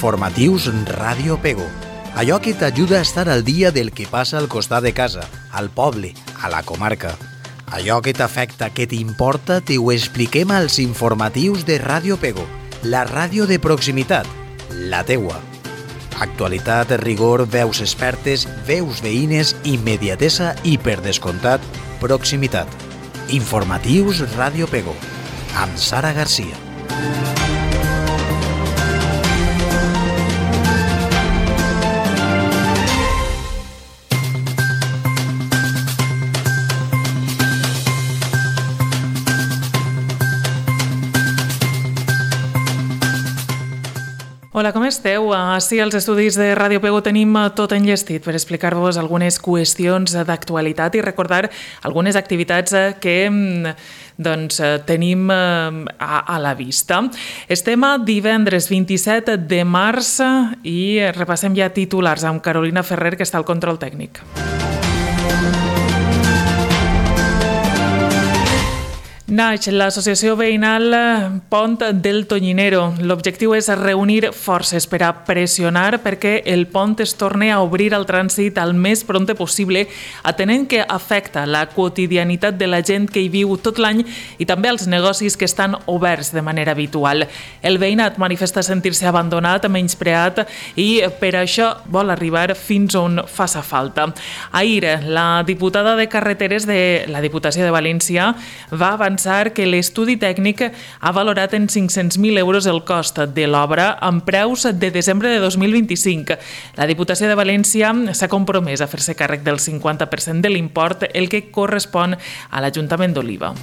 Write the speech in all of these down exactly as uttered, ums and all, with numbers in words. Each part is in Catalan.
Informatius Ràdio Pego. Allò que t'ajuda a estar al dia del que passa al costat de casa, al poble, a la comarca. Allò que t'afecta, que t'importa, t'ho expliquem als informatius de Ràdio Pego, la ràdio de proximitat, la teua. Actualitat, rigor, veus expertes, veus veïnes, immediatesa i, per descomptat, proximitat. Informatius Ràdio Pego, amb Sara Garcia. Hola, com esteu? Així als estudis de Ràdio Pego tenim tot enllestit per explicar-vos algunes qüestions d'actualitat i recordar algunes activitats que doncs, tenim a, a la vista. Estem a divendres vint-i-set de març i repassem ja titulars amb Carolina Ferrer, que està al control tècnic. Naix l'associació veïnal Pont del Tonyinero. L'objectiu és reunir forces per a pressionar perquè el pont es torni a obrir al trànsit el més prompte possible, atenent que afecta la quotidianitat de la gent que hi viu tot l'any i també els negocis que estan oberts de manera habitual. El veïnat manifesta sentir-se abandonat, menyspreat i per això vol arribar fins on faça falta. Ahir, la diputada de Carreteres de la Diputació de València va avançar que l'estudi tècnic ha valorat en cinc-cents mil euros el cost de l'obra amb preus de desembre de dos mil vint-i-cinc. La Diputació de València s'ha compromès a fer-se càrrec del cinquanta per cent de l'import, el que correspon a l'Ajuntament d'Oliva.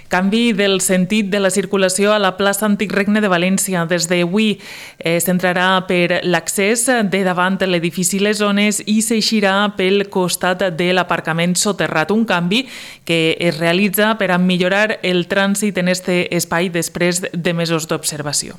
Canvi del sentit de la circulació a la plaça Antic Regne de València. Des d'avui s'entrarà per l'accés de davant l'edifici Les Zones i s'eixirà pel costat de l'aparcament soterrat. Un canvi que es realitza per a millorar el trànsit en aquest espai després de mesos d'observació.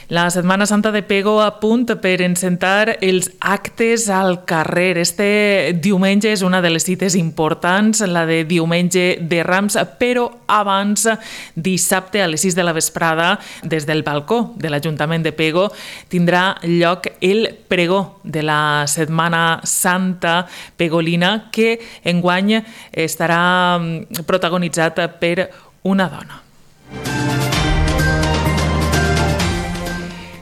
La Setmana Santa de Pego a punt per encetar els actes al carrer. Este diumenge és una de les cites importants, la de diumenge de Rams, però abans, dissabte a les sis de la vesprada, des del balcó de l'Ajuntament de Pego, tindrà lloc el pregó de la Setmana Santa pegolina, que enguany estarà protagonitzat per una dona.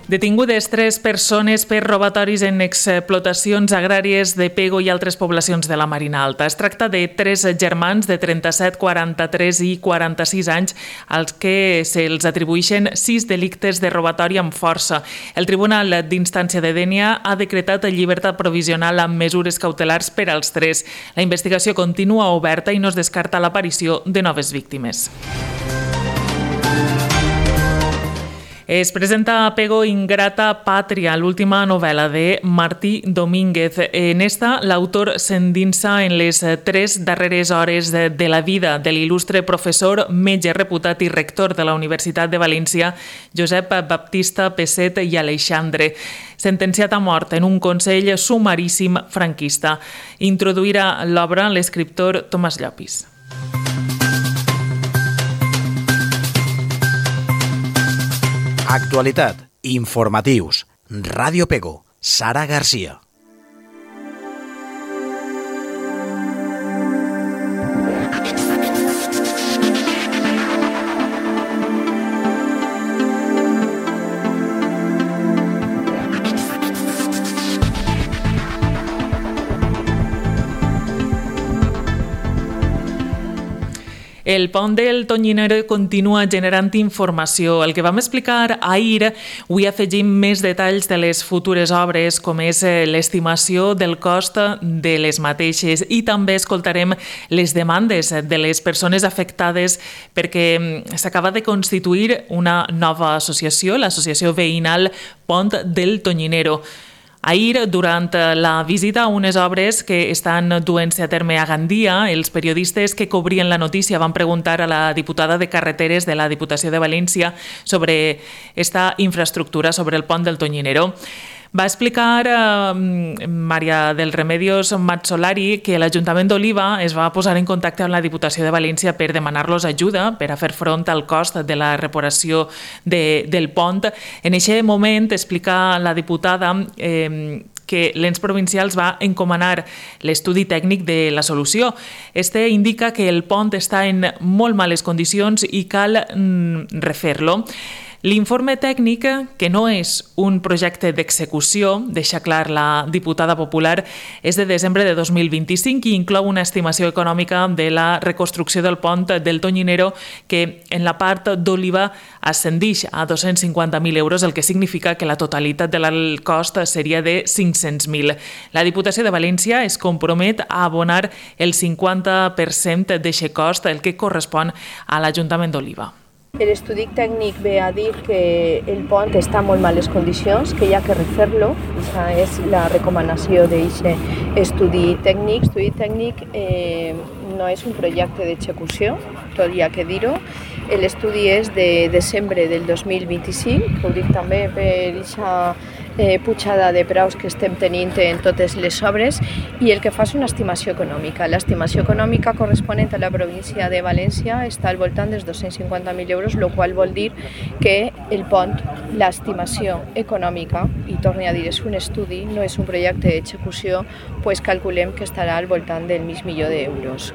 Detingudes tres persones per robatoris en explotacions agràries de Pego i altres poblacions de la Marina Alta. Es tracta de tres germans de trenta-set, quaranta-tres i quaranta-sis anys als que se'ls atribueixen sis delictes de robatori amb força. El Tribunal d'Instància de Dénia ha decretat llibertat provisional amb mesures cautelars per als tres. La investigació continua oberta i no es descarta l'aparició de noves víctimes. Es presenta a Pego Ingrata Pàtria, l'última novel·la de Martí Domínguez. En esta, l'autor s'endinsa en les tres darreres hores de, de la vida de l'il·lustre professor, metge reputat i rector de la Universitat de València, Josep Baptista Pesset i Aleixandre, sentenciat a mort en un consell sumaríssim franquista. Introduirà l'obra l'escriptor Tomàs Llopis. Actualitat, informatius, Ràdio Pego, Sara Garcia. El pont del Tonyinero continua generant informació. El que vam explicar ahir, avui afegim més detalls de les futures obres, com és l'estimació del cost de les mateixes, i també escoltarem les demandes de les persones afectades perquè s'acaba de constituir una nova associació, l'associació veïnal Pont del Tonyinero. Ahir, durant la visita a unes obres que estan duent-se a terme a Gandia, els periodistes que cobrien la notícia van preguntar a la diputada de Carreteres de la Diputació de València sobre esta infraestructura, sobre el pont del Tonyinero. Va explicar eh, Maria del Remedios Mazzolari que l'Ajuntament d'Oliva es va posar en contacte amb la Diputació de València per demanar-los ajuda per a fer front al cost de la reparació de, del pont. En aquest moment, explica la diputada eh, que l'ens provincials va encomanar l'estudi tècnic de la solució. Este indica que el pont està en molt males condicions i cal mm, refer-lo. L'informe tècnic, que no és un projecte d'execució, deixa clar la diputada popular, és de desembre de dos mil vint-i-cinc i inclou una estimació econòmica de la reconstrucció del pont del Tonyinero que en la part d'Oliva ascendeix a dos-cents cinquanta mil euros, el que significa que la totalitat del cost seria de cinc-cents mil. La Diputació de València es compromet a abonar el cinquanta per cent d'aquest cost, el que correspon a l'Ajuntament d'Oliva. L'estudi tècnic ve a dir que el pont està en molt males condicions, que hi ha que refer-lo. Aquesta és la recomanació d'aquest estudi tècnic. L'estudi tècnic eh, no és un projecte d'execució, tot hi ha que dir-ho. L'estudi és de desembre del dos mil vint-i-cinc, que ho dic també per aquesta eh, pujada de preus que estem tenint en totes les obres, i el que fa és una estimació econòmica. L'estimació econòmica corresponent a la província de València està al voltant dels dos-cents cinquanta mil euros, el qual vol dir que el pont, l'estimació econòmica, i torno a dir, és un estudi, no és un projecte d'execució, pues calculem que estarà al voltant del mig milió d'euros.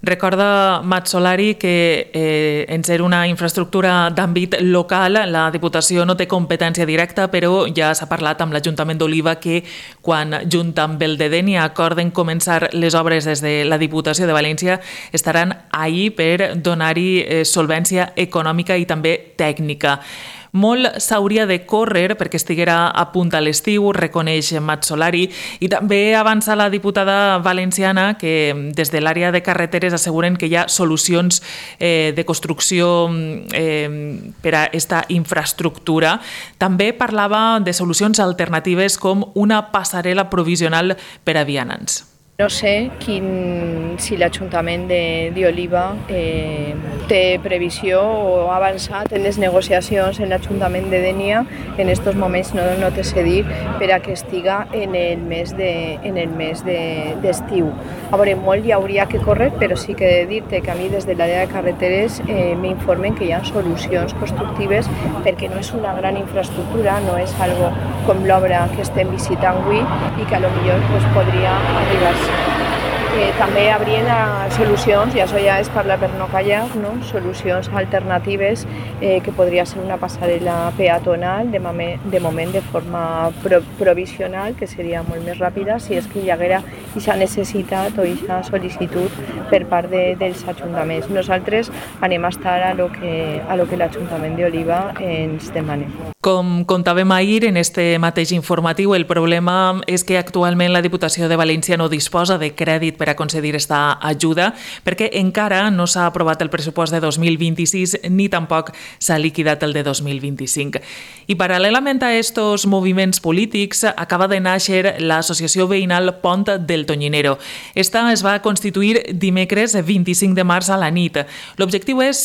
Recorda Mazzolari que eh, en ser una infraestructura d'àmbit local, la Diputació no té competència directa, però ja s'ha parlat amb l'Ajuntament d'Oliva que quan, junt amb el de Dénia, acorden començar les obres des de la Diputació de València, estaran ahí per donar-hi eh, solvència econòmica i també tècnica. Molt s'hauria de córrer perquè estiguera a punt a l'estiu, reconeix Mazzolari, i també avança la diputada valenciana que des de l'àrea de carreteres asseguren que hi ha solucions eh, de construcció eh, per a aquesta infraestructura. També parlava de solucions alternatives com una passarel·la provisional per a vianants. No sé quin, si l'Ajuntament d'Oliva eh, té previsió o ha avançat en les negociacions en l'Ajuntament de Dénia. En aquests moments no, no té se dir per a que estiga en el mes de, en el mes de, d'estiu. A veure, molt hi hauria que córrer, però sí que he de dir-te que a mi des de l'àrea de carreteres eh, m'informen que hi ha solucions constructives perquè no és una gran infraestructura, no és algo com l'obra que estem visitant avui i que a lo millor pues, podria arribar. Eh, també hi hauria solucions, i això ja és parlar per no callar, no? Solucions alternatives eh, que podria ser una passarel·la peatonal, de, moment, de moment de forma pro, provisional, que seria molt més ràpida si és que hi haguera aquesta necessitat o aquesta sol·licitud per part de, dels ajuntaments. Nosaltres anem a estar a lo que, a lo que l'Ajuntament d'Oliva ens demana. Com contàvem ahir en este mateix informatiu, el problema és que actualment la Diputació de València no disposa de crèdit per a concedir aquesta ajuda perquè encara no s'ha aprovat el pressupost de dos mil vint-i-sis ni tampoc s'ha liquidat el de dos mil vint-i-cinc. I paral·lelament a estos moviments polítics acaba de néixer l'associació veïnal Pont del Tonyinero. Esta es va constituir dimecres vint-i-cinc de març a la nit. L'objectiu és,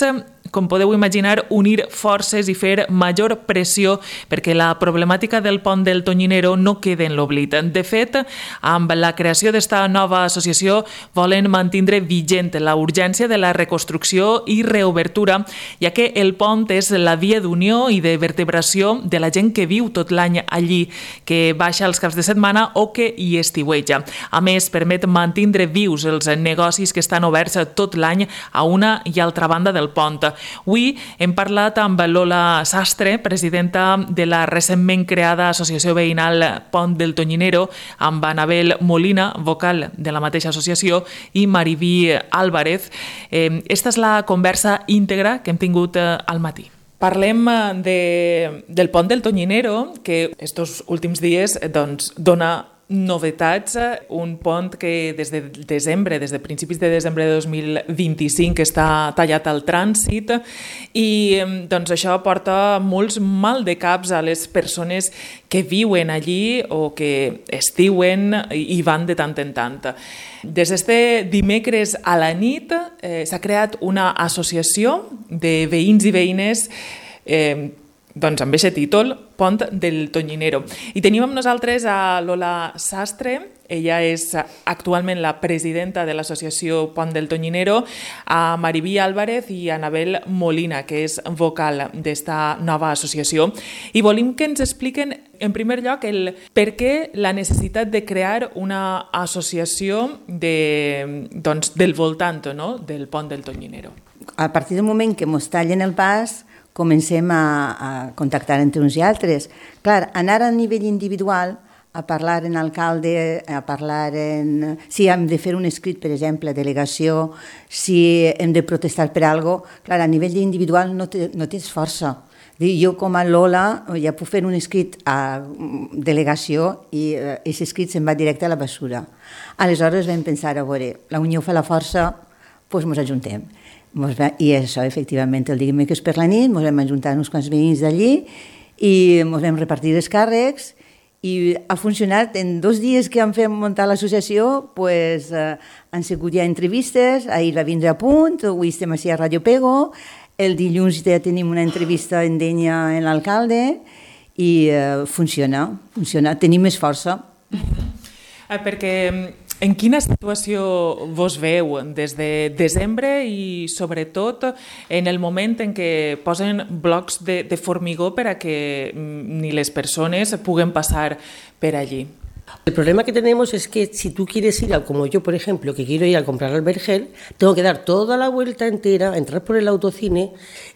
com podeu imaginar, unir forces i fer major pressió perquè la problemàtica del pont del Tonyinero no quede en l'oblit. De fet, amb la creació d'esta nova associació volen mantindre vigent la urgència de la reconstrucció i reobertura, ja que el pont és la via d'unió i de vertebració de la gent que viu tot l'any allí, que baixa els caps de setmana o que hi estiueja. A més, permet mantindre vius els negocis que estan oberts tot l'any a una i altra banda del pont. Avui hem parlat amb Lola Sastre, presidenta de la recentment creada Associació Veïnal Pont del Tonyinero, amb Anabel Molina, vocal de la mateixa associació, i Mariví Álvarez. Eh, esta és la conversa íntegra que hem tingut al matí. Parlem de, del pont del Tonyinero, que estos últims dies doncs, dona novetats, un pont que des de desembre, des de principis de desembre de dos mil vint-i-cinc està tallat al trànsit i doncs això porta molts mal de caps a les persones que viuen allí o que estiuen i van de tant en tant. Des d'este dimecres a la nit eh, s'ha creat una associació de veïns i veïnes eh, doncs amb aquest títol, Pont del Tonyinero. I tenim amb nosaltres a Lola Sastre, ella és actualment la presidenta de l'associació Pont del Tonyinero, a Mariví Álvarez i a Anabel Molina, que és vocal d'esta nova associació. I volim que ens expliquen, en primer lloc, el per què la necessitat de crear una associació de, doncs, del voltant, no?, del Pont del Tonyinero. A partir del moment que ens tallen el pas, comencem a, a contactar entre uns i altres. Clar, anar a nivell individual, a parlar en alcalde, a parlar en... Si hem de fer un escrit, per exemple, a delegació, si hem de protestar per alguna cosa, clar, a nivell individual no, te, no tens força. Jo com a Lola ja puc fer un escrit a delegació i aquest escrit se'n va directe a la bessura. Aleshores vam pensar, a veure, la unió fa la força, doncs ens ajuntem. I això, efectivament, el dimecres per la nit, ens vam ajuntar uns quants veïns d'allí i ens vam repartir els càrrecs i ha funcionat. En dos dies que hem fet muntar l'associació pues, eh, han sigut ja entrevistes, ahir va vindre a punt, avui estem així a Ràdio Pego, el dilluns ja tenim una entrevista en Dénia en l'alcalde i eh, funciona, funciona, tenim més força. Eh, perquè en quina situació vos veu des de desembre i sobretot en el moment en què posen blocs de, de formigó per a que ni les persones puguen passar per allí? El problema que tenemos es que si tú quieres ir, a, como yo por ejemplo, que quiero ir a comprar al Vergel, tengo que dar toda la vuelta entera, entrar por el autocine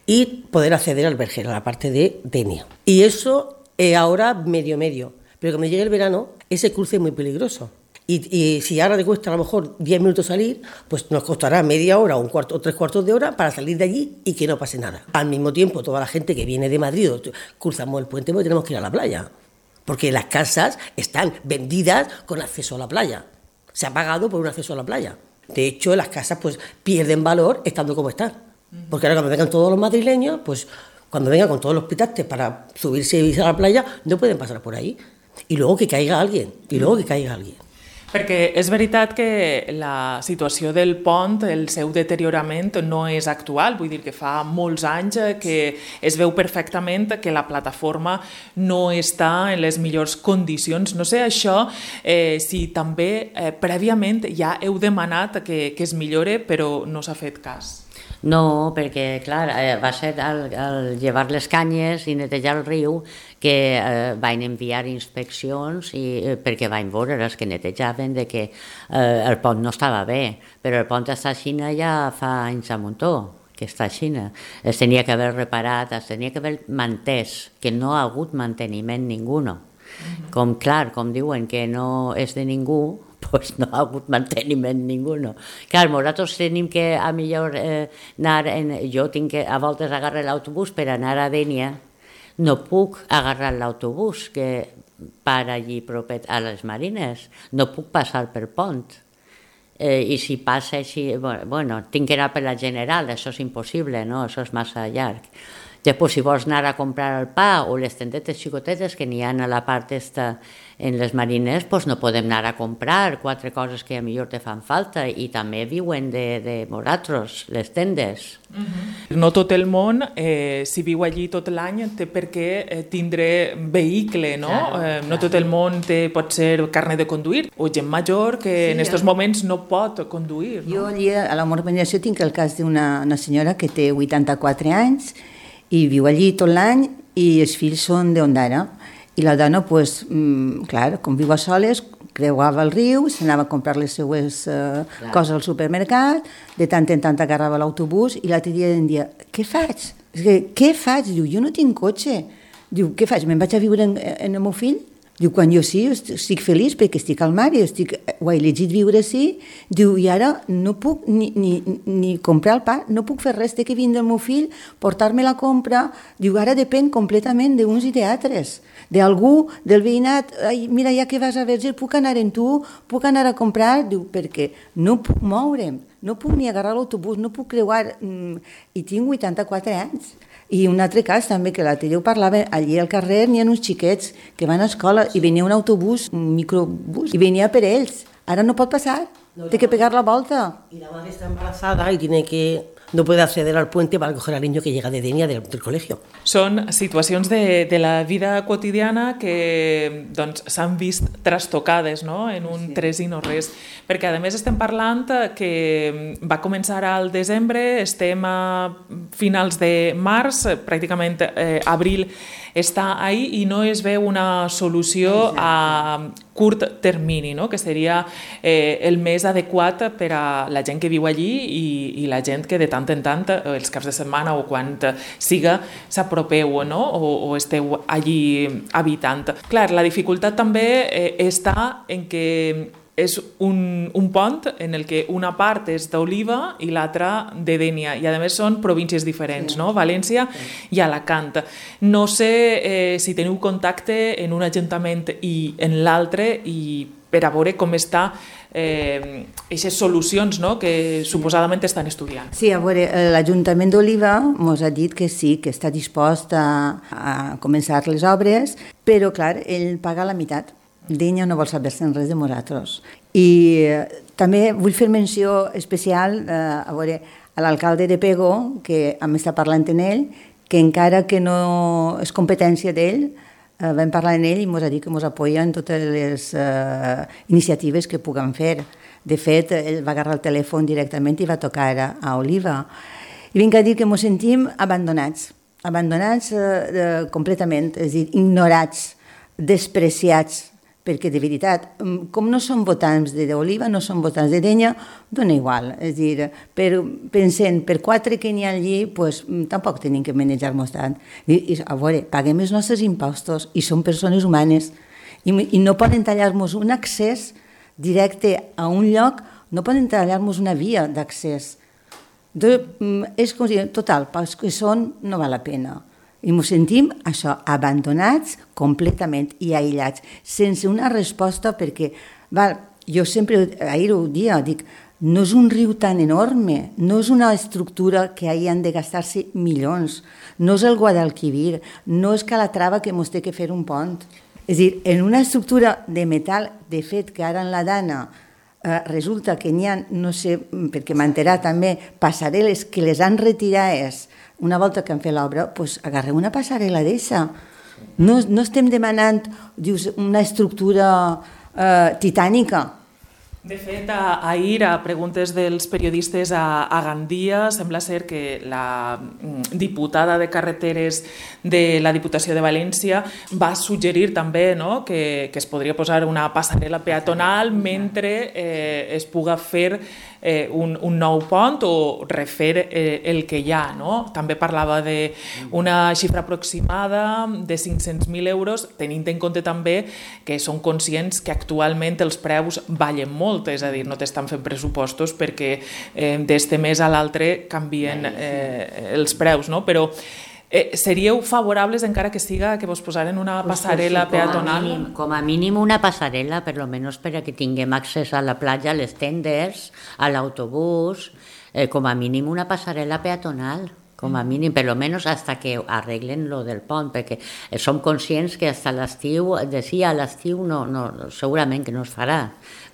y poder acceder al Vergel, a la parte de Denia. Y eso eh, ahora medio medio, pero cuando llegue el verano ese cruce es muy peligroso. Y, y si ahora te cuesta a lo mejor diez minutos salir, pues nos costará media hora o, un cuarto, o tres cuartos de hora para salir de allí y que no pase nada. Al mismo tiempo, toda la gente que viene de Madrid, cruzamos el puente porque tenemos que ir a la playa. Porque las casas están vendidas con acceso a la playa. Se ha pagado por un acceso a la playa. De hecho, las casas pues pierden valor estando como están. Porque ahora cuando vengan todos los madrileños, pues cuando vengan con todos los pitastes para subirse y irse a la playa, no pueden pasar por ahí. Y luego que caiga alguien, y luego que caiga alguien. Perquè és veritat que la situació del pont, el seu deteriorament no és actual, vull dir que fa molts anys que es veu perfectament que la plataforma no està en les millors condicions. No sé això eh, si també eh, prèviament ja heu demanat que, que es millore però no s'ha fet cas. No, perquè, clar, eh, va ser al, al llevar les canyes i netejar el riu que eh, van enviar inspeccions i, eh, perquè van veure els que netejaven de que eh, el pont no estava bé, però el pont està a Xina ja fa anys a muntó, que està a Xina. Es tenia que haver reparat, es tenia que haver mantès, que no ha hagut manteniment ninguno. Uh-huh. Com, clar, com diuen que no és de ningú, pues no ha hagut manteniment ninguno. Clar, nosaltres tenim que a millor eh, anar, en, jo tinc que a voltes agarrar l'autobús per anar a Dénia, no puc agarrar l'autobús que para allí propet a les Marines, no puc passar per pont. Eh, I si passa així, bueno, bueno, tinc que anar per la General, això és impossible, no? Això és massa llarg. Després, si vols anar a comprar el pa o les tendetes xicotetes que n'hi ha a la part esta en les Marines, doncs no podem anar a comprar quatre coses que a millor te fan falta i també viuen de, de nosaltres, les tendes. Uh-huh. No tot el món, eh, si viu allí tot l'any, té per què eh, tindre vehicle, no? Claro, eh, no claro. Tot el món té, pot ser carnet de conduir, o gent major que sí, en aquests moments no pot conduir. No? Jo allí a la urbanizació tinc el cas d'una una senyora que té vuitanta-quatre anys i viu allí tot l'any i els fills són d'Ondara. I la dona, pues, mm, clar, com viu a soles, creuava el riu, s'anava a comprar les seues uh, coses al supermercat, de tant en tant agarrava l'autobús i l'altre dia em dia, què faig? Què faig? Diu, jo no tinc cotxe. Diu, què faig? Me'n vaig a viure en, en el meu fill? Diu, quan jo sí, estic feliç perquè estic al mar i estic, ho he elegit viure així. Diu, i ara no puc ni, ni, ni comprar el pa, no puc fer res, té que vindre el meu fill, portar-me la compra. Diu, ara depèn completament d'uns i d'altres. D'algú, del veïnat, ai, mira, ja que vas a Verger, puc anar en tu, puc anar a comprar? Diu, perquè no puc moure'm, no puc ni agarrar l'autobús, no puc creuar, i tinc vuitanta-quatre anys. I un altre cas també, que l'altre dia ho parlava, allí al carrer n'hi ha uns xiquets que van a escola i venia un autobús, un microbús, i venia per ells. Ara no pot passar, no, té que pegar la volta. Y la madre está embarazada y tiene que no puede acceder al puente para coger al niño que llega de Denia del, del colegio. Són situacions de, de la vida quotidiana que doncs, s'han vist trastocades, no?, en un sí. tres i no res. Perquè, a més, estem parlant que va començar al desembre, estem a finals de març, pràcticament eh, abril està ahí i no es veu una solució Exacte. a curt termini, no?, que seria eh, el més adequat per a la gent que viu allí i, i la gent que de tant en tant, els caps de setmana o quan siga, s'apropeu, no?, o, o esteu allí habitant. Clar, la dificultat també eh, està en que és un, un pont en el que una part és d'Oliva i l'altra de Dénia, i a més són províncies diferents, no? València i Alacant. No sé eh, si teniu contacte en un ajuntament i en l'altre i per a veure com està eh, aquestes solucions, no?, que suposadament estan estudiant. Sí, a veure, l'Ajuntament d'Oliva ens ha dit que sí, que està dispost a, a començar les obres, però clar, ell paga la meitat. Dénia no vol saber-se'n res de nosaltres. I eh, també vull fer menció especial eh, a, veure, a l'alcalde de Pego, que hem estat parlant en ell, que encara que no és competència d'ell, eh, vam parlar en ell i ens ha dit que ens apoya en totes les eh, iniciatives que puguem fer. De fet, ell va agarrar el telèfon directament i va tocar a, a Oliva. I vinc a dir que ens sentim abandonats, abandonats eh, completament, és a dir, ignorats, despreciats, perquè de veritat, com no són votants d'Oliva, no són votants de Dénia, dona igual. És a dir, per, pensant per quatre que n'hi ha allí, pues, tampoc tenim que manejar-nos tant. I, i, a veure, paguem els nostres impostos i som persones humanes i, i no poden tallar-nos un accés directe a un lloc, no poden tallar-nos una via d'accés. És com si, total, pels que són no val la pena. I ens sentim, això, abandonats completament i aïllats, sense una resposta perquè, val, jo sempre, ahir ho dia, dic, no és un riu tan enorme, no és una estructura que hi han de gastar-se milions, no és el Guadalquivir, no és Calatrava que ens té que fer un pont. És a dir, en una estructura de metal, de fet, que ara en la Dana eh, resulta que n'hi ha, no sé, perquè m'enterà també, passarel·les que les han retirades una volta que han fet l'obra, doncs agarreu una passarel·la d'eixa. No, no estem demanant, dius, una estructura eh, titànica. De fet, ahir, a preguntes dels periodistes a, a Gandia, sembla ser que la diputada de Carreteres de la Diputació de València va suggerir també, no?, que, que es podria posar una passarel·la peatonal mentre eh, es puga fer eh, un, un nou pont o refer eh, el que hi ha, no? També parlava d'una xifra aproximada de cinc-cents mil euros, tenint en compte també que són conscients que actualment els preus ballen molt, és a dir, no t'estan fent pressupostos perquè eh, d'este mes a l'altre canvien eh, els preus, no? Però eh, seríeu favorables encara que siga que vos posaren una passarel·la peatonal? Com a, mínim, com a mínim una passarel·la, per lo menos per a que tinguem accés a la platja, a les tendes, a l'autobús, eh, com a mínim una passarel·la peatonal. Com a mínim, per lo menos hasta que arreglen lo del pont, perquè som conscients que hasta l'estiu, decía, a l'estiu no, no, segurament que no es farà,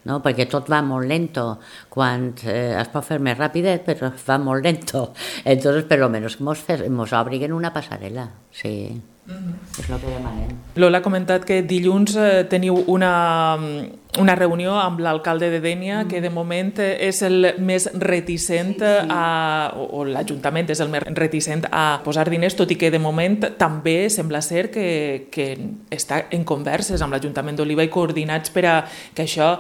no? Perquè tot va molt lento, quan eh, es pot fer més ràpidet, però va molt lento. Entonces, per lo menos, mos, mos obriguen una passarel·la, sí. Mm-hmm. És el que demanem. Lola ha comentat que dilluns eh, teniu una, una reunió amb l'alcalde de Dénia, mm. que de moment és el més reticent, sí, sí. A, o, o l'Ajuntament és el més reticent a posar diners, tot i que de moment també sembla ser que, que està en converses amb l'Ajuntament d'Oliva i coordinats per a que això,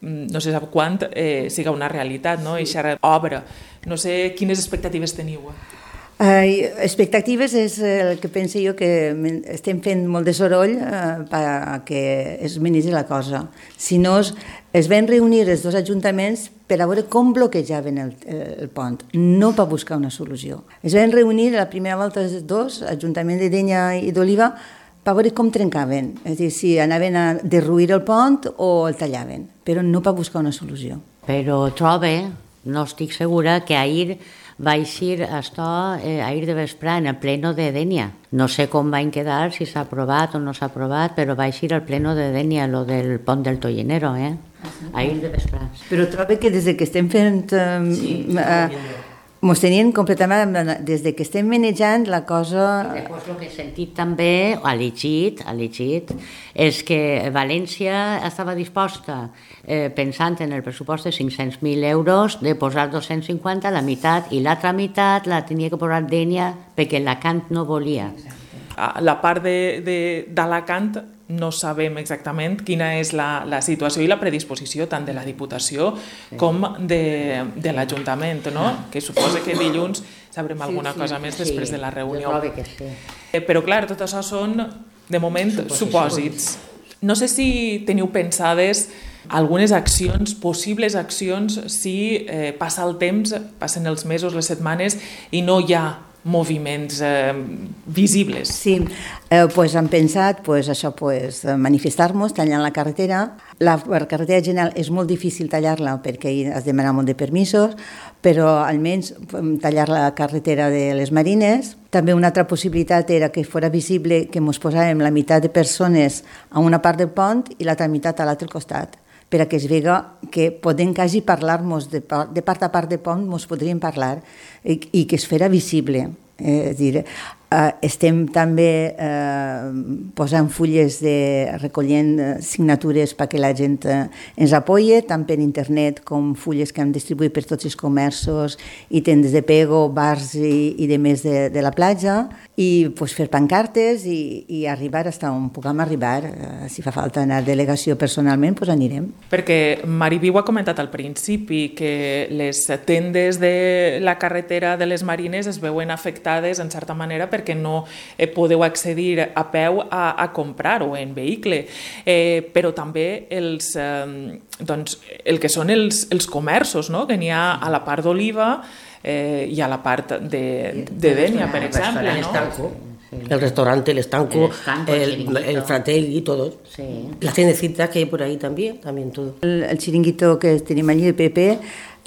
no sé sap quant, eh, siga una realitat, no? Sí. Eixa obra. No sé quines expectatives teniu. Uh, expectatives és el que penso jo que estem fent molt de soroll uh, perquè es menigi la cosa. Si no, es, es van reunir els dos ajuntaments per a veure com bloquejaven el, el pont, no per buscar una solució. Es van reunir la primera volta els dos, Ajuntament de Dénia i d'Oliva, per veure com trencaven, és a dir, si anaven a derruir el pont o el tallaven, però no per buscar una solució. Però trobe, no estic segura, que ahir va eixir això eh, ahir de vesprà en el pleno de Dénia. No sé com van quedar, si s'ha aprovat o no s'ha aprovat, però va eixir al pleno de Dénia, lo del pont del Tollinero, eh? Ahir de vesprà. Però trobo que des que estem fent... Eh, sí, eh, Mos tenien completament, des de que estem manejant la cosa... I després el que he sentit també, o ha llegit, ha llegit, és que València estava disposta, eh, pensant en el pressupost de cinc-cents mil euros, de posar dos-cents cinquanta, la meitat, i l'altra meitat la tenia que posar Dénia perquè Alacant no volia. La part d'Alacant no sabem exactament quina és la, la situació i la predisposició tant de la Diputació sí. com de, de l'Ajuntament, no? Que suposa que dilluns sabrem sí, alguna sí, cosa més sí, després de la reunió. Que sí. Però clar, tot això són, de moment, supòsits. No sé si teniu pensades algunes accions, possibles accions, si eh, passa el temps, passen els mesos, les setmanes, i no hi ha moviments eh, visibles. Sí, eh, pues hem pensat pues, això, pues, manifestar-nos tallant la carretera. La, la carretera general és molt difícil tallar-la perquè has de demanar molt de permisos, però almenys tallar la carretera de les Marines. També una altra possibilitat era que fos visible que ens posàvem la meitat de persones a una part del pont i l'altra meitat a l'altre costat, per a que es vega que podem quasi parlar-nos de, de part a part de pont, ens podríem parlar i, i que es fera visible. Eh, és dir, eh, estem també eh, posant fulles de, recollint signatures perquè la gent eh, ens apoye, tant per internet com fulles que hem distribuït per tots els comerços i tendes de pego, bars i, i de més de, de la platja, i pues, fer pancartes i, i arribar fins on puguem arribar. Eh, si fa falta anar a delegació personalment, pues anirem. Perquè Mariviu ha comentat al principi que les tendes de la carretera de les Marines es veuen afectades en certa manera perquè no eh, podeu accedir a peu a, a comprar o en vehicle, eh, però també els, eh, doncs, el que són els, els comerços, no? Que n'hi ha a la part d'Oliva eh, i a la part de, de Dénia, per exemple. ¿No? El restaurante, el estanco, el, estanco, el, el, el Fratelli, todos. Sí. La tiendecita que hay por ahí también, también todo. El, el xiringuito que tenim allí, el Pepe,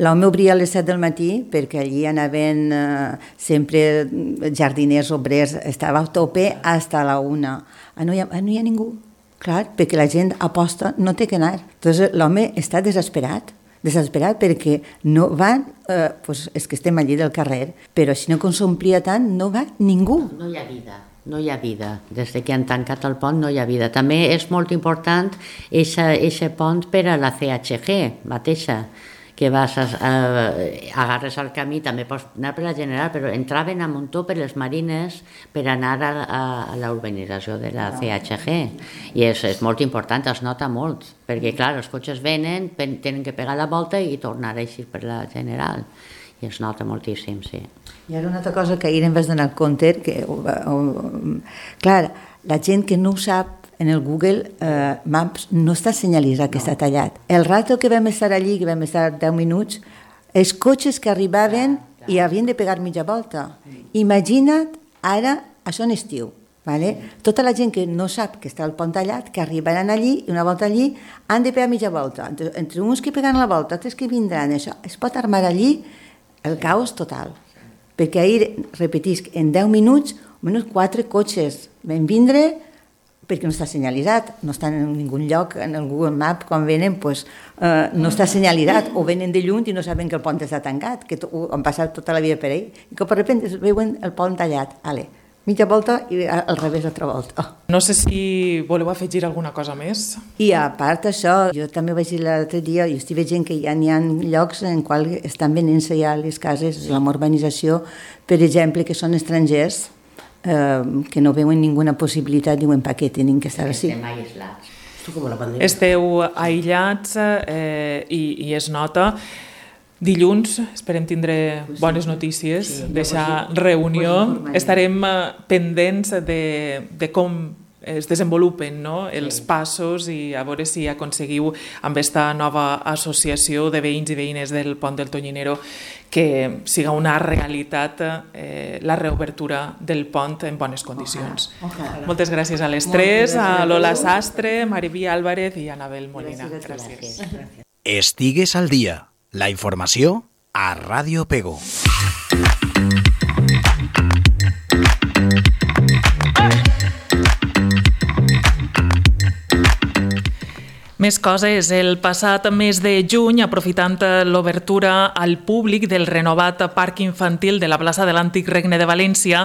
l'home obria a les set del matí perquè allí anaven eh, sempre jardiners, obrers, estava a tope fins a la una. Ah, no hi ha, ah, no hi ha ningú, clar, perquè la gent aposta, no té que anar. Entonces l'home està desesperat, desesperat perquè no van, eh, pues és que estem allí del carrer, però si no que s'omplia tant, no va ningú. No hi ha vida. No hi ha vida. Des que han tancat el pont no hi ha vida. També és molt important aquest pont per a la C H G mateixa, que vas a, eh, agarres el camí, també pots anar per la General, però entraven a muntó per les Marines per anar a, a, a la urbanització de la C H G. I és, és molt important, es nota molt, perquè clar, els cotxes venen, tenen que pegar la volta i tornar així per la General. I es nota moltíssim, sí. I ara una altra cosa que ahir em vas donar compte, que, o, o, clar, la gent que no ho sap, en el Google eh, Maps no està senyalitzat que no. Està tallat. El rato que vam estar allí, que vam estar deu minuts, els cotxes que arribaven clar, clar. I havien de pegar mitja volta. Imagina't ara, això en estiu, vale? Tota la gent que no sap que està el pont tallat, que arribaran allí i una volta allí han de pegar mitja volta. Entre, entre uns que peguen la volta, altres que vindran, això es pot armar allí el caos total. Perquè ahir, repetisc, en deu minuts, almenys quatre cotxes van vindre perquè no està senyalitzat, no està en ningun lloc, en el Google Map, quan venen, pues, eh, no està senyalitzat, o venen de lluny i no saben que el pont està tancat, que to, han passat tota la vida per ahí, i que per repente veuen el pont tallat. Ale, mitja volta i al revés altra volta. No sé si voleu afegir alguna cosa més. I a part d'això, jo també vaig dir l'altre dia, jo estic veient que ja n'hi ha llocs en qual estan venent-se ja les cases, la urbanització, per exemple, que són estrangers, Eh, que no veuen ninguna possibilitat, diuen per què tenen que estar així. Estem aïllats. Esteu aïllats eh, i, i es nota. Dilluns esperem tindre bones notícies sí, d'aquesta reunió. Estarem pendents de, de com es desenvolupen, no? Els passos i a veure si aconseguiu amb aquesta nova associació de veïns i veïnes del Pont del Tonyinero que siga una realitat eh, la reobertura del pont en bones condicions. Ojalà. Ojalà. Moltes gràcies a les tres, a Lola Sastre, Mariví Álvarez i Anabel Molina. Gràcies. gràcies. Estigues al dia. La informació a Ràdio Pego. Més coses. El passat mes de juny, aprofitant l'obertura al públic del renovat parc infantil de la plaça de l'Antic Regne de València,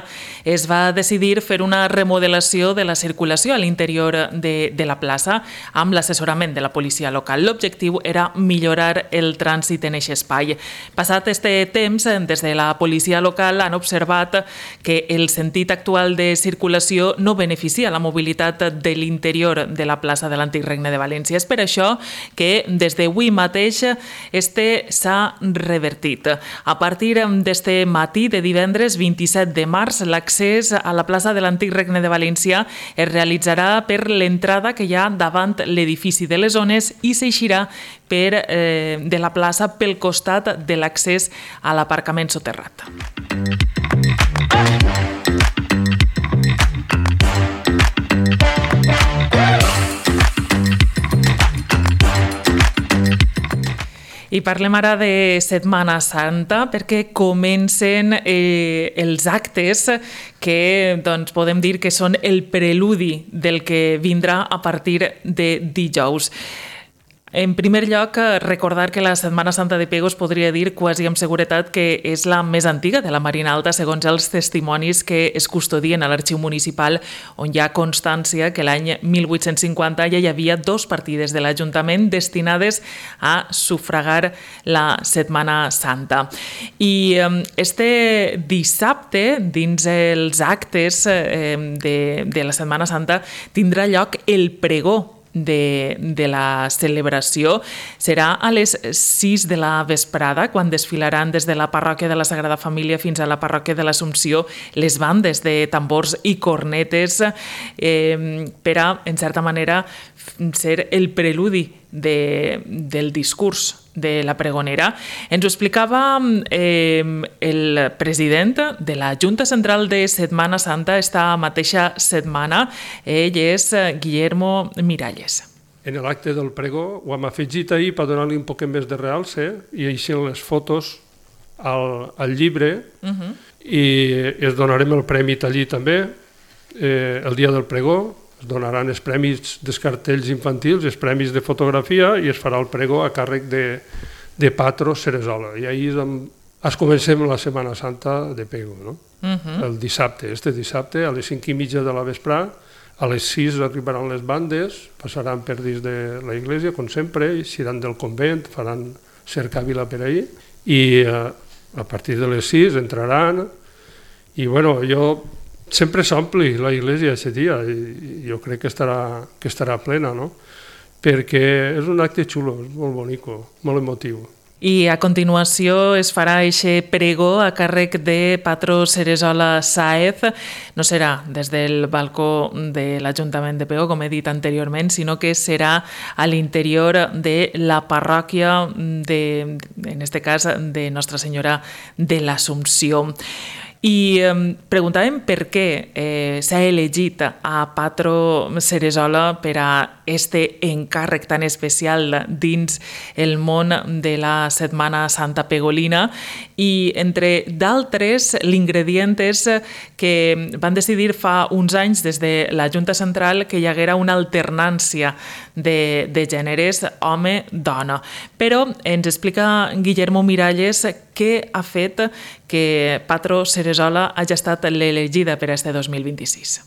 es va decidir fer una remodelació de la circulació a l'interior de, de la plaça amb l'assessorament de la policia local. L'objectiu era millorar el trànsit en aquest espai. Passat este temps, des de la policia local han observat que el sentit actual de circulació no beneficia la mobilitat de l'interior de la plaça de l'Antic Regne de València. És per això que des d'avui mateix este s'ha revertit. A partir d'este matí de divendres vint-i-set de març, l'accés a la plaça de l'Antic Regne de València es realitzarà per l'entrada que hi ha davant l'edifici de les Zones i s'eixirà per, eh, de la plaça pel costat de l'accés a l'aparcament soterrat. I parlem ara de Setmana Santa perquè comencen eh, els actes que doncs, podem dir que són el preludi del que vindrà a partir de dijous. En primer lloc, recordar que la Setmana Santa de Pego es podria dir quasi amb seguretat que és la més antiga de la Marina Alta, segons els testimonis que es custodien a l'Arxiu Municipal, on hi ha constància que l'any mil vuit-cents cinquanta ja hi havia dos partides de l'Ajuntament destinades a sufragar la Setmana Santa. I este dissabte, dins els actes de, de la Setmana Santa, tindrà lloc el pregó De, de la celebració. Serà a les sis de la vesprada, quan desfilaran des de la parròquia de la Sagrada Família fins a la parròquia de l'Assumpció les bandes de tambors i cornetes eh, per a, en certa manera, ser el preludi de, del discurs de la pregonera. Ens ho explicava eh, el president de la Junta Central de Setmana Santa esta mateixa setmana. Ell és Guillermo Miralles. En l'acte del pregó ho hem afegit ahir per donar-li un poc més de realce i així les fotos al, al llibre uh-huh. i es donarem el premi allí també eh, el dia del pregó. Es donaran els premis dels cartells infantils, els premis de fotografia i es farà el pregó a càrrec de, de Patro Ceresola. I ahir es comencem la Setmana Santa de Pego, no? Uh-huh. El dissabte, este dissabte, a les cinc i mitja de la vesprà, a les sis arribaran les bandes, passaran per dins de la iglesia, com sempre, i seran del convent, faran cercavila per ahir, i eh, a partir de les sis entraran, i bueno, jo... Sempre s'ompli la iglesia aquest dia i jo crec que estarà, que estarà plena, no? Perquè és un acte xulo, és molt bonico, molt emotiu. I a continuació es farà eixe pregó a càrrec de Patro Ceresola Sáez. No serà des del balcó de l'Ajuntament de Pego, com he dit anteriorment, sinó que serà a l'interior de la parròquia, de, en este cas, de Nostra Senyora de l'Assumpció. I eh, preguntàvem per què eh, s'ha elegit a Patro Ceresola per a este encàrrec tan especial dins el món de la Setmana Santa Pegolina i, entre d'altres, l'ingredient és que van decidir fa uns anys des de la Junta Central que hi haguera una alternància de, de gèneres home-dona. Però ens explica Guillermo Miralles què ha fet que Patro Ceresola hagi estat l'elegida per a este dos mil vint-i-sis.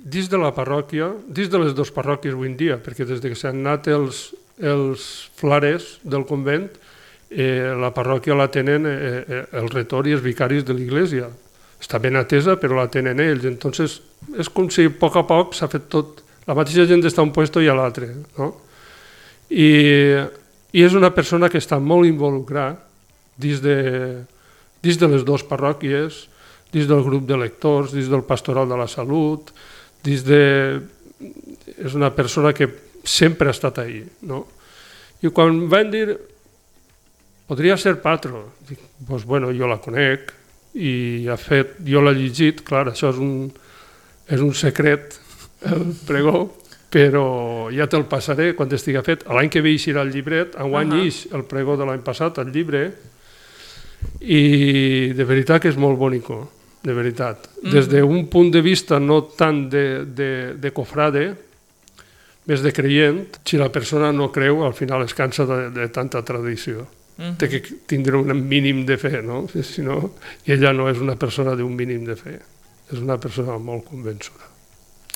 Dins de la parròquia, dins de les dues parròquies avui en dia, perquè des que s'han anat els, els flares del convent, eh, la parròquia la tenen eh, el retor i els vicaris de l'església. Està ben atesa, però la tenen ells. Entonces, és com si a poc a poc s'ha fet tot. La mateixa gent està a un puesto i a l'altre, no? I, I és una persona que està molt involucrada dins de, dins de les dues parròquies, dins del grup de lectors, dins del pastoral de la salut, dins de... és una persona que sempre ha estat ahí, no? I quan van dir, podria ser Patro, dic, doncs bueno, jo la conec i ha fet, jo l'he llegit, clar, això és un, és un secret, el pregó, però ja te'l passaré quan estigui fet. L'any que ve eixirà el llibret, enguany uh-huh. ix el pregó de l'any passat, el llibre, i de veritat que és molt bonico, de veritat. Des d'un punt de vista no tant de, de, de cofrade, més de creient, si la persona no creu, al final es cansa de, de tanta tradició. Uh-huh. Té que tindre un mínim de fe, no? Si no, i ella no és una persona d'un mínim de fe, és una persona molt convençuda.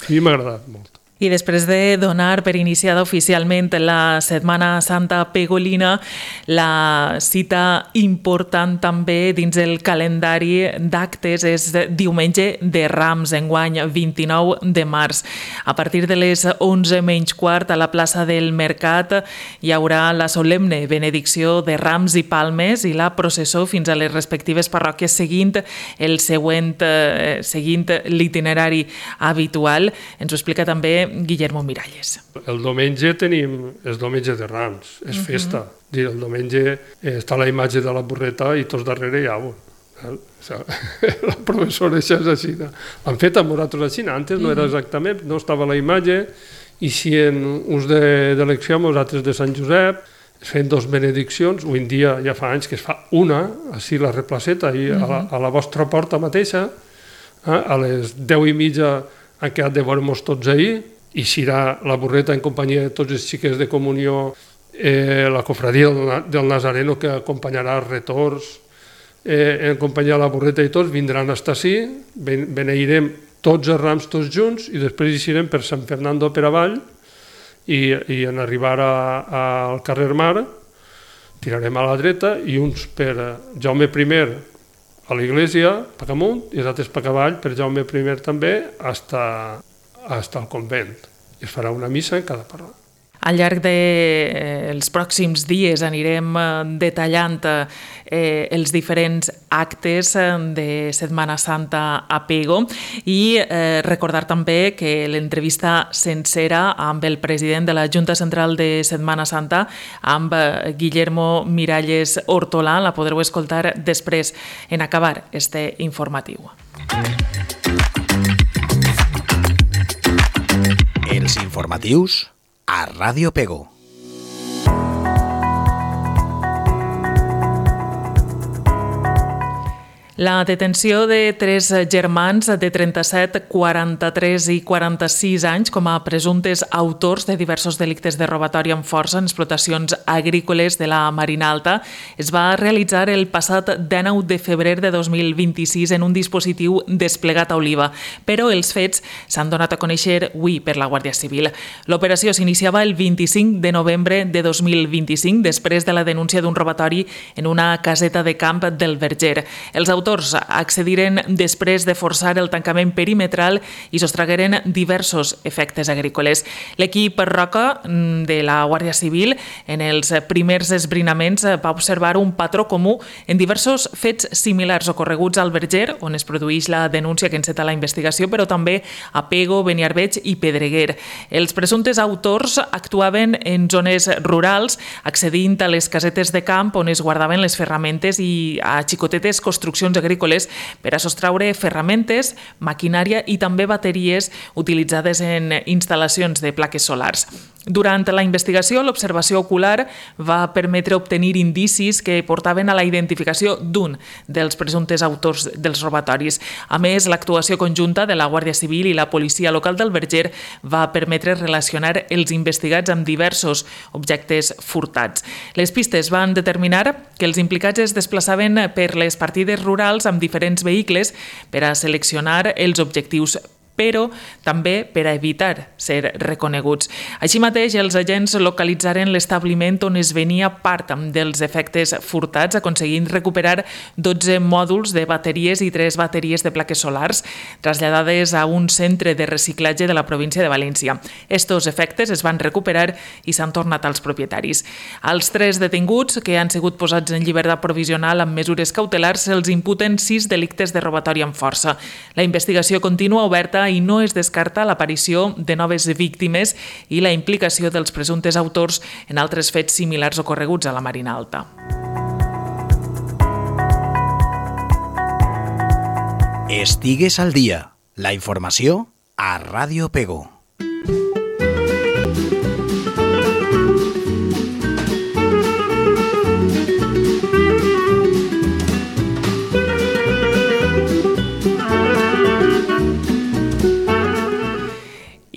A mi m'ha agradat molt. I després de donar per iniciada oficialment la Setmana Santa Pegolina, la cita important també dins el calendari d'actes és diumenge de Rams, enguany vint-i-nou de març. A partir de les onze menys quart a la plaça del Mercat hi haurà la solemne benedicció de Rams i Palmes i la processó fins a les respectives parròquies seguint el següent, eh, seguint l'itinerari habitual. Ens ho explica també Guillermo Miralles. El diumenge tenim, és diumenge de Rams, és uh-huh. festa. El diumenge està la imatge de la burreta i tots darrere hi ha un. La professora això és així. L'han fet amb nosaltres així, antes no era exactament, no estava la imatge, i si en uns d'elecció, nosaltres de Sant Josep, es feien dos benediccions, avui en dia ja fa anys que es fa una, així la replaceta, i a la, a la vostra porta mateixa, a les deu i mitja han quedat de veure-nos tots ahir, i serà la burreta en companyia de tots els xiquets de comunió, eh, la cofradia del Nazareno que acompanyarà els retors, eh, en companyia de la burreta i tots, vindran a estar així, beneirem tots els rams tots junts i després hi serem per Sant Fernando per avall i, i en arribar a, a, al carrer Mar tirarem a la dreta i uns per Jaume primer a l'església, per amunt, i els altres per avall, per Jaume primer també, hasta hasta el convent. I es farà una missa en cada parròquia. Al llarg dels pròxims dies anirem detallant eh, els diferents actes de Setmana Santa a Pego i eh, recordar també que l'entrevista sencera amb el president de la Junta Central de Setmana Santa, amb Guillermo Miralles Hortolà, la podreu escoltar després en acabar este informatiu. Els informatius a Ràdio Pego. La detenció de tres germans de trenta-set, quaranta-tres i quaranta-sis anys com a presumptes autors de diversos delictes de robatori amb força en explotacions agrícoles de la Marina Alta es va realitzar el passat dinou de febrer de dos mil vint-i-sis en un dispositiu desplegat a Oliva, però els fets s'han donat a conèixer avui per la Guàrdia Civil. L'operació s'iniciava el vint-i-cinc de novembre de dos mil vint-i-cinc després de la denúncia d'un robatori en una caseta de camp del Verger. Els autors accediren després de forçar el tancament perimetral i sostragueren diversos efectes agrícoles. L'equip Roca de la Guàrdia Civil en els primers esbrinaments va observar un patró comú en diversos fets similars ocorreguts al Verger, on es produeix la denúncia que enceta la investigació, però també a Pego, Beniarbeig i Pedreguer. Els presumptes autors actuaven en zones rurals, accedint a les casetes de camp on es guardaven les ferramentes i a xicotetes construccions agrícoles per a sostraure ferramentes, maquinària i també bateries utilitzades en instal·lacions de plaques solars. Durant la investigació, l'observació ocular va permetre obtenir indicis que portaven a la identificació d'un dels presumptes autors dels robatoris. A més, l'actuació conjunta de la Guàrdia Civil i la policia local del Verger va permetre relacionar els investigats amb diversos objectes furtats. Les pistes van determinar que els implicats es desplaçaven per les partides rurals amb diferents vehicles per a seleccionar els objectius, però també per a evitar ser reconeguts. Així mateix, els agents localitzaren l'establiment on es venia part dels efectes furtats, aconseguint recuperar dotze mòduls de bateries i tres bateries de plaques solars, traslladades a un centre de reciclatge de la província de València. Estos efectes es van recuperar i s'han tornat als propietaris. Als tres detinguts, que han sigut posats en llibertat provisional amb mesures cautelars, se'ls imputen sis delictes de robatori amb força. La investigació continua oberta i no es descarta l'aparició de noves víctimes i la implicació dels presumptes autors en altres fets similars ocorreguts a la Marina Alta. Estigues al dia. La informació a Ràdio Pego.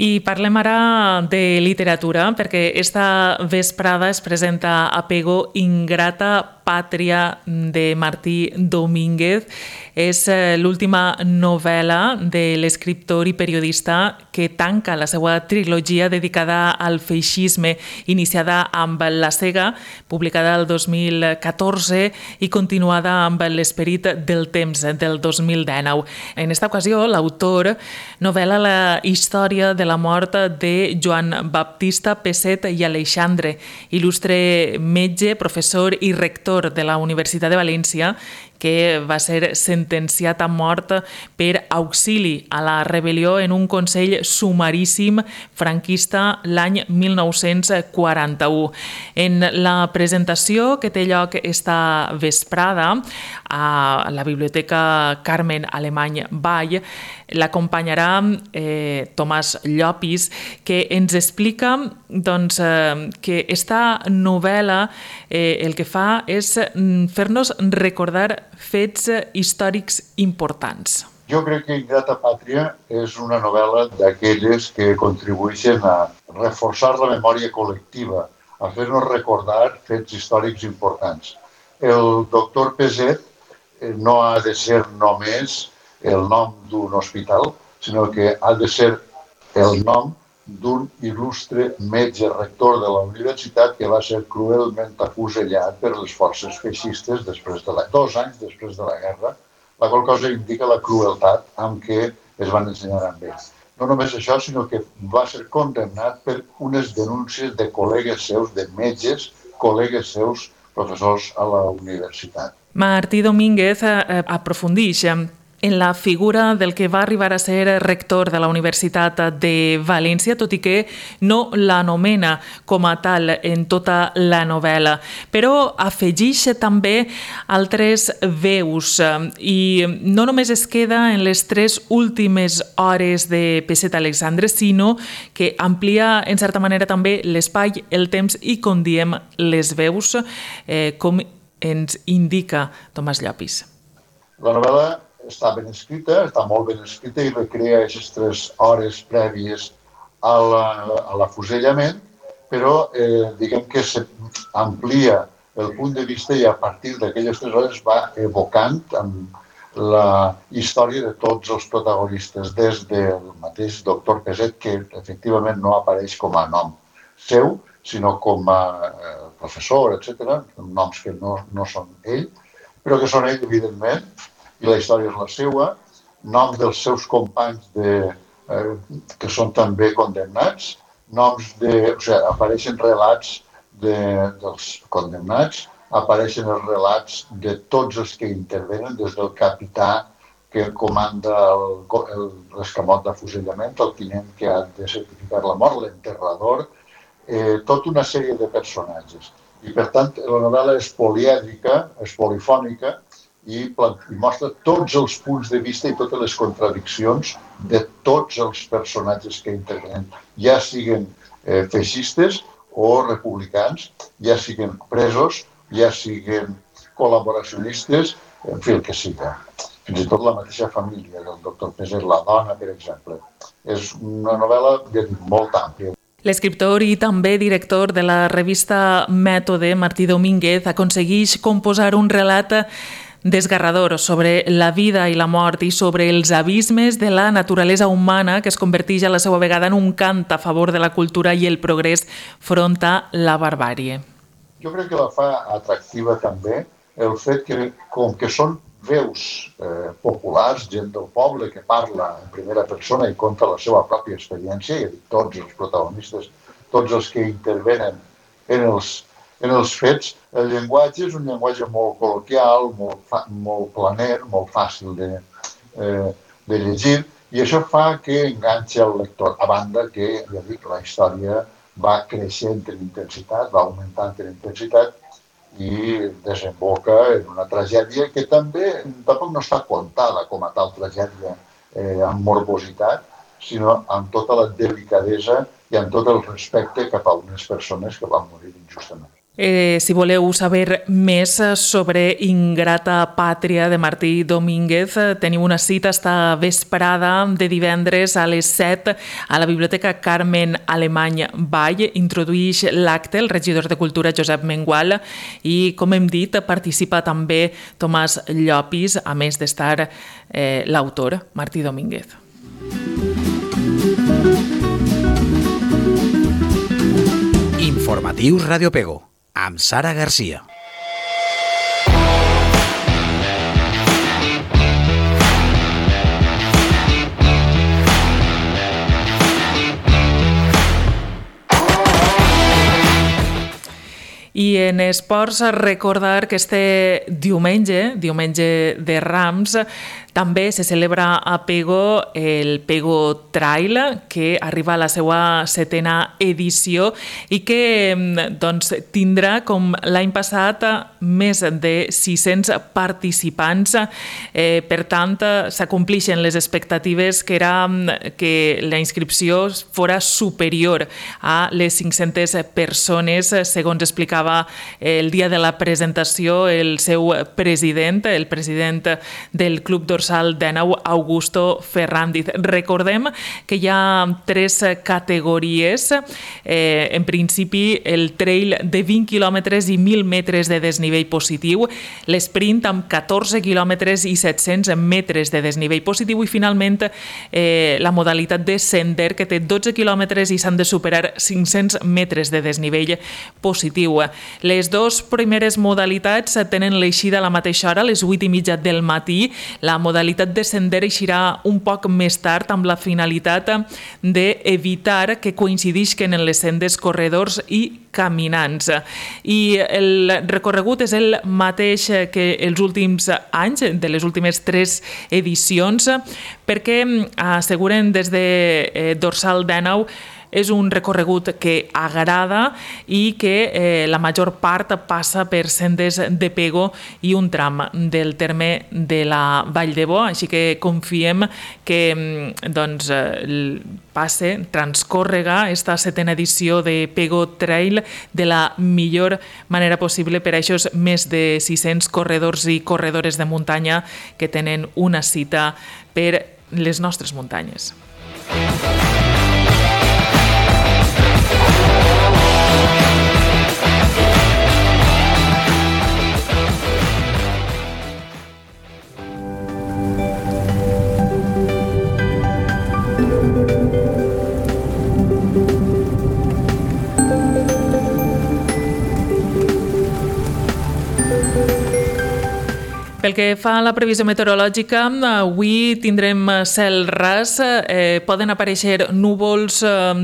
I parlem Parlem ara de literatura, perquè esta vesprada es presenta Apego Ingrata Pàtria de Martí Domínguez. És l'última novel·la de l'escriptor i periodista que tanca la seva trilogia dedicada al feixisme, iniciada amb La cega, publicada el dos mil catorze i continuada amb L'esperit del temps del dos mil dinou. En esta ocasió, l'autor novel·la la història de la mort de Joan Baptista Peset i Aleixandre, il·lustre metge, professor i rector de la Universitat de València, que va ser sentenciat a mort per auxili a la rebel·lió en un consell sumaríssim franquista l'any mil nou-cents quaranta-u. En la presentació que té lloc esta vesprada a la Biblioteca Carmen Alemany Vall, l'acompanyarà eh, Tomàs Llopis, que ens explica doncs, eh, que esta novel·la eh, el que fa és fer-nos recordar fets històrics importants. Jo crec que Ingrata Pàtria és una novel·la d'aquelles que contribueixen a reforçar la memòria col·lectiva, a fer-nos recordar fets històrics importants. El doctor Peset no ha de ser només el nom d'un hospital, sinó que ha de ser el nom d'un il·lustre metge rector de la universitat que va ser cruelment afusellat per les forces feixistes després de la, dos anys després de la guerra, la qual cosa indica la crueltat amb què es van ensenyar amb ell. No només això, sinó que va ser condemnat per unes denúncies de col·legues seus, de metges, col·legues seus, professors a la universitat. Martí Domínguez eh, aprofundix en la figura del que va arribar a ser rector de la Universitat de València, tot i que no l'anomena com a tal en tota la novel·la. Però afegeix també altres veus i no només es queda en les tres últimes hores de Peset Aleixandre, sinó que amplia en certa manera també l'espai, el temps i, com diem, les veus, eh, com ens indica Tomàs Llopis. La novel·la està ben escrita, està molt ben escrita i recrea aquestes tres hores prèvies a l'afusellament, però eh, diguem que s'amplia el punt de vista i a partir d'aquelles tres hores va evocant amb la història de tots els protagonistes, des del mateix doctor Peset, que efectivament no apareix com a nom seu, sinó com a eh, professor, etcètera, noms que no, no són ell, però que són ell, evidentment, i la història és la seva, noms dels seus companys de, eh, que són també condemnats, noms de, o sigui, apareixen relats de, dels condemnats, apareixen els relats de tots els que intervenen, des del capità que comanda l'escamot d'afusellament, el tinent que ha de certificar la mort, l'enterrador, eh, tota una sèrie de personatges. I per tant, la novel·la és polièdrica, és polifònica, i mostra tots els punts de vista i totes les contradiccions de tots els personatges que intervenen, ja siguen eh, feixistes o republicans, ja siguen presos, ja siguen col·laboracionistes, en fi, el que siga. Fins i tot la mateixa família del doctor Peset, la dona, per exemple. És una novel·la molt àmplia. L'escriptor i també director de la revista Mètode, Martí Domínguez, aconsegueix composar un relat desgarrador sobre la vida i la mort i sobre els abismes de la naturalesa humana que es converteix a la seva vegada en un cant a favor de la cultura i el progrés front a la barbàrie. Jo crec que la fa atractiva també el fet que, com que són veus eh, populars, gent del poble que parla en primera persona i conta la seva pròpia experiència, i tots els protagonistes, tots els que intervenen en els En els fets, el llenguatge és un llenguatge molt col·loquial, molt, fa, molt planer, molt fàcil de, eh, de llegir, i això fa que enganxi el lector. A banda que, ja dic, la història va creixent en intensitat, va augmentant en intensitat i desemboca en una tragèdia que també tampoc no està contada com a tal tragèdia eh, amb morbositat, sinó amb tota la delicadesa i amb tot el respecte cap a unes persones que van morir injustament. Eh, si voleu saber més sobre Ingrata Pàtria de Martí Domínguez, teniu una cita esta vesprada de divendres a les set a la Biblioteca Carmen Alemany Vall. Introduïx l'acte el regidor de Cultura Josep Mengual i, com hem dit, participa també Tomàs Llopis, a més d'estar eh, l'autor, Martí Domínguez. Informatius Radio Pego, amb Sara Garcia. I en esports, recordar que este diumenge, diumenge de Rams, també se celebra a Pego el Pego Trail, que arriba a la seva setena edició i que doncs, tindrà, com l'any passat, més de sis-cents participants. Eh, per tant, s'acomplixen les expectatives que era que la inscripció fora superior a les cinc-centes persones, segons explicava el dia de la presentació el seu president, el president del Club Dorsal d'Enau, Augusto Ferrandiz. Recordem que hi ha tres categories. Eh, en principi, el trail de vint quilòmetres i mil metres de desnivell positiu, l'esprint amb catorze quilòmetres i set-cents metres de desnivell positiu i, finalment, eh, la modalitat de sender, que té dotze quilòmetres i s'han de superar cinc-cents metres de desnivell positiu. Les dues primeres modalitats tenen l'eixida a la mateixa hora, a les vuit i mitja del matí. La modalitat de sender eixirà un poc més tard amb la finalitat d'evitar que coincidisquen en les sendes corredors i caminants. I el recorregut és el mateix que els últims anys, de les últimes tres edicions, perquè asseguren des de Dorsal d'Enau és un recorregut que agrada i que eh, la major part passa per sendes de Pego i un tram del terme de la Vall de Bo, així que confiem que doncs, passe, transcórrega esta setena edició de Pego Trail de la millor manera possible per a aquests més de sis-cents corredors i corredores de muntanya que tenen una cita per les nostres muntanyes. Pel que fa a la previsió meteorològica, avui tindrem cel ras, eh, poden aparèixer núvols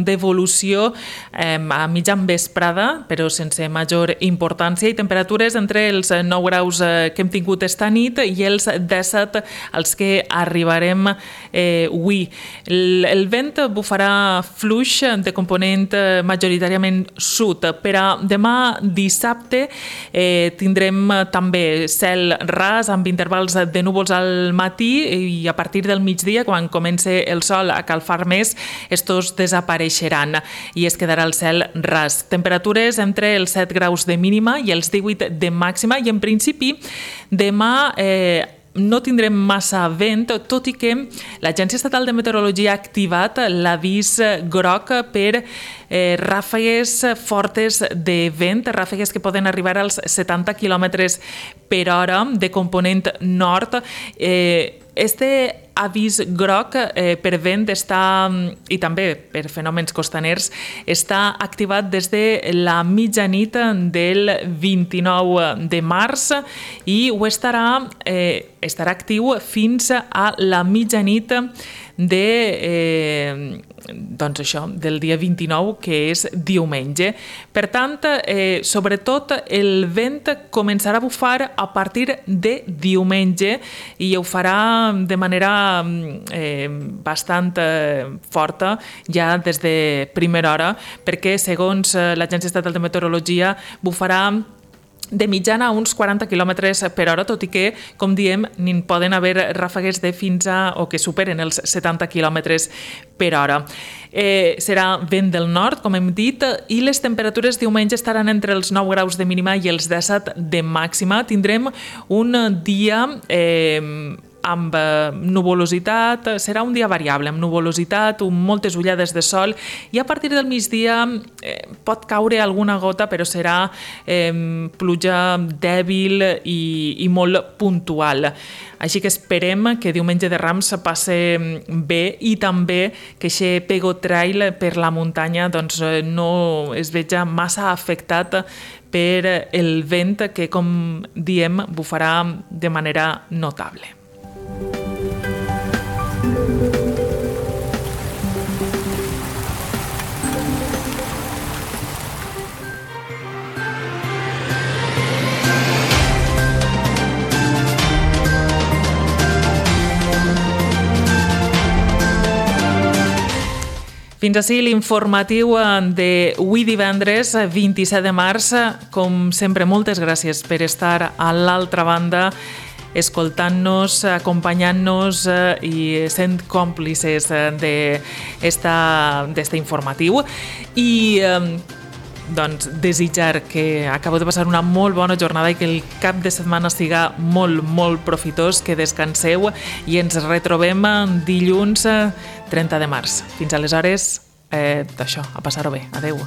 d'evolució eh, a mitjan vesprada, però sense major importància, i temperatures entre els nou graus que hem tingut esta nit i els disset als que arribarem eh, avui. El, el vent bufarà fluix de component majoritàriament sud. Per a demà dissabte eh, tindrem també cel ras, amb intervals de núvols al matí, i a partir del migdia, quan comença el sol a calfar més, estos desapareixeran i es quedarà el cel ras. Temperatures entre els set graus de mínima i els divuit de màxima, i en principi demà eh, no tindrem massa vent, tot i que l'Agència Estatal de Meteorologia ha activat l'avís groc per eh, ràfegues fortes de vent, ràfegues que poden arribar als setanta quilòmetres per hora de component nord. Eh, Este avís groc eh, per vent està, i també per fenòmens costaners, està activat des de la mitjanit del vint-i-nou de març i ho estarà, eh, estarà actiu fins a la mitjanit de, eh, doncs això, del dia vint-i-nou, que és diumenge. Per tant, eh, sobretot el vent començarà a bufar a partir de diumenge i ho farà de manera eh, bastant eh, forta ja des de primera hora, perquè segons l'Agència Estatal de Meteorologia bufarà de mitjana a uns quaranta quilòmetres per hora, tot i que, com diem, n'hi poden haver ràfegues de fins a o que superen els setanta quilòmetres per hora. Eh, serà vent del nord, com hem dit, i les temperatures diumenge estaran entre els nou graus de mínima i els disset de màxima. Tindrem un dia eh, amb nuvolositat, serà un dia variable, amb nuvolositat, amb moltes ullades de sol, i a partir del migdia eh, pot caure alguna gota, però serà eh, pluja dèbil i, i molt puntual. Així que esperem que diumenge de Rams passe bé i també que aquest Pego Trail per la muntanya doncs, no es veja massa afectat per el vent que, com diem, bufarà de manera notable. Fins ací l'informatiu d'avui divendres, vint-i-set de març. Com sempre, moltes gràcies per estar a l'altra banda, escoltant-nos, acompanyant-nos i sent còmplices d'este informatiu. I doncs, desitjar que acabeu de passar una molt bona jornada i que el cap de setmana siga molt, molt profitós, que descanseu i ens retrobem dilluns trenta de març. Fins aleshores, eh, d'això, a passar-ho bé. Adeu.